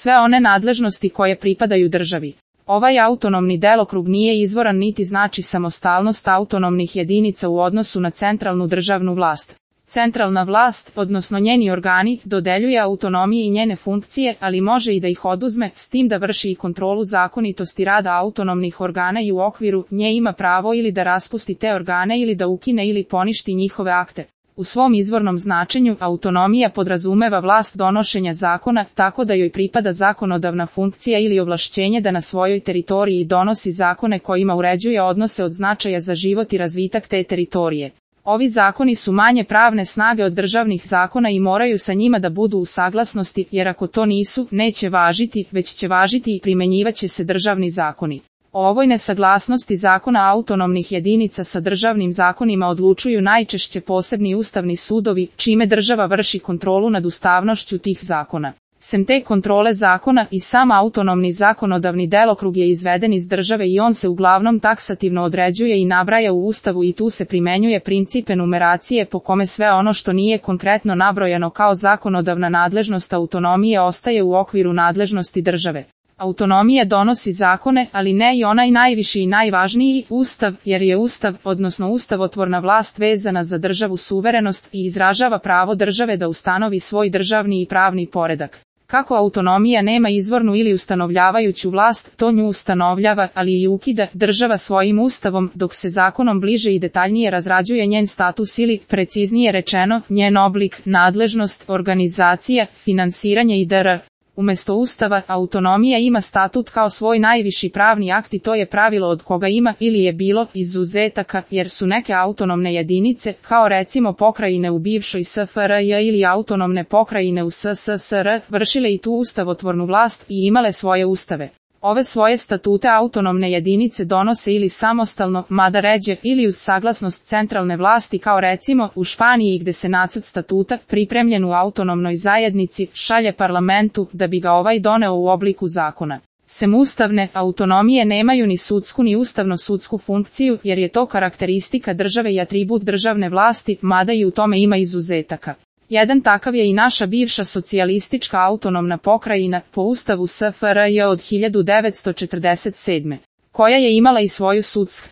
sve one nadležnosti koje pripadaju državi. Ovaj autonomni delokrug nije izvoran niti znači samostalnost autonomnih jedinica u odnosu na centralnu državnu vlast. Centralna vlast, odnosno njeni organi, dodeljuje autonomiji i njene funkcije, ali može i da ih oduzme, s tim da vrši i kontrolu zakonitosti rada autonomnih organa i u okviru nje ima pravo ili da raspusti te organe ili da ukine ili poništi njihove akte. U svom izvornom značenju, autonomija podrazumeva vlast donošenja zakona, tako da joj pripada zakonodavna funkcija ili ovlašćenje da na svojoj teritoriji donosi zakone kojima uređuje odnose od značaja za život i razvitak te teritorije. Ovi zakoni su manje pravne snage od državnih zakona i moraju sa njima da budu u saglasnosti, jer ako to nisu, neće važiti, već će važiti i primenjivaće se državni zakoni. O ovoj nesaglasnosti zakona autonomnih jedinica sa državnim zakonima odlučuju najčešće posebni ustavni sudovi, čime država vrši kontrolu nad ustavnošću tih zakona. Sem te kontrole zakona i sam autonomni zakonodavni delokrug je izveden iz države i on se uglavnom taksativno određuje i nabraja u Ustavu i tu se primenjuje princip enumeracije po kome sve ono što nije konkretno nabrojano kao zakonodavna nadležnost autonomije ostaje u okviru nadležnosti države. Autonomija donosi zakone, ali ne i onaj najviši i najvažniji, Ustav, jer je Ustav, odnosno ustavotvorna vlast vezana za državu suverenost i izražava pravo države da ustanovi svoj državni i pravni poredak. Kako autonomija nema izvornu ili ustanovljavajuću vlast, to nju ustanovljava, ali i ukida država svojim ustavom, dok se zakonom bliže i detaljnije razrađuje njen status ili, preciznije rečeno, njen oblik, nadležnost, organizacija, finansiranje i dr. Umesto Ustava, autonomija ima statut kao svoj najviši pravni akt i to je pravilo od koga ima ili je bilo izuzetaka, jer su neke autonomne jedinice, kao recimo pokrajine u bivšoj SFRJ ili autonomne pokrajine u SSSR, vršile i tu ustavotvornu vlast i imale svoje ustave. Ove svoje statute autonomne jedinice donose ili samostalno, mada ređe, ili uz saglasnost centralne vlasti kao recimo u Španiji gde se nacrt statuta, pripremljen u autonomnoj zajednici, šalje parlamentu da bi ga ovaj doneo u obliku zakona. Sem ustavne autonomije nemaju ni sudsku ni ustavno-sudsku funkciju jer je to karakteristika države i atribut državne vlasti, mada i u tome ima izuzetaka. Jedan takav je i naša bivša socijalistička autonomna pokrajina po Ustavu SFRJ od 1947. koja je imala i svoju sudsku